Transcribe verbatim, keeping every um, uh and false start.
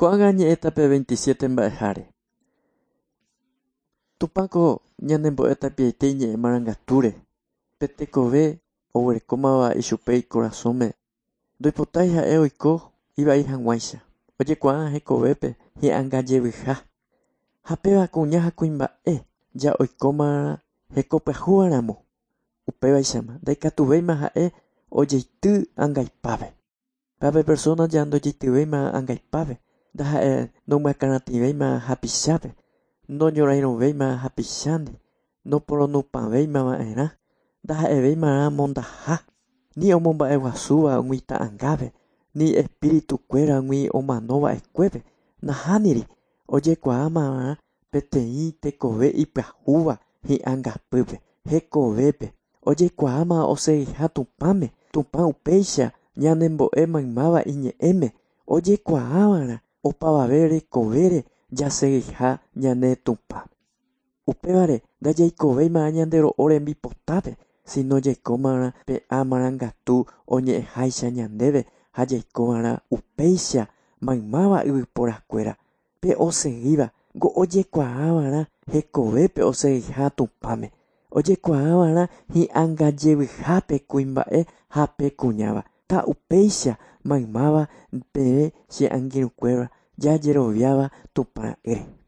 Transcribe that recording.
Ko'ág̃a ñe'ẽta pe veintisiete mba'eháre. Tupãko ñanembo'e tapiaite iñe'ẽ marangatúre. Pe tekove oguerekómava ichupe ikorasõme ndoipotái ha'e oiko ivai hag̃uáicha. Ojekuaa hekovépe hi'angajevyha. Ha péva kuña ha kuimba'e ja oikóma hekopyahúvaramo. Upévaichama ndaikatuvéima ha'e ojeity angaipápe. Péva persona ja ndojeityvéima angaipápe ndaha'e nomyakãratĩvéima hapichápe, noñorairõvéima hapichándi, noporonupãvéimava'erã, ndaha'evéima mondaha, ni omomba'eguasúva umi ta'ãngápe, ni espiritukuéragui omanova'ekuépe, nahániri ojekuaámava'erã peteĩ tekove ipyahúva hi'angapýpe, hekovépe, ojekuaáma osegiha Tupãme, Tupã upéicha ñanembo'e maymáva iñe'ẽme, ojekuaáva'erã opavave rekovére jasegiha ñane Tupã. Upévare ndajaikovéima ñande ro'o rembipotápe, sino jaikómava'erã pe marangatu oñe'ẽháicha ñandéve ha jaikova'erã upéicha maymáva yvyporakuéra. Pe osegíva ojekuaáva'erã hekovépe osegiha Tupãme. Ojekuaáva'erã hi'angajevyhápe kuimba'e ha pe kuñáva. Ta upéicha maymáva peẽ che angirũkuéra jajeroviáva Tupã'ỹre.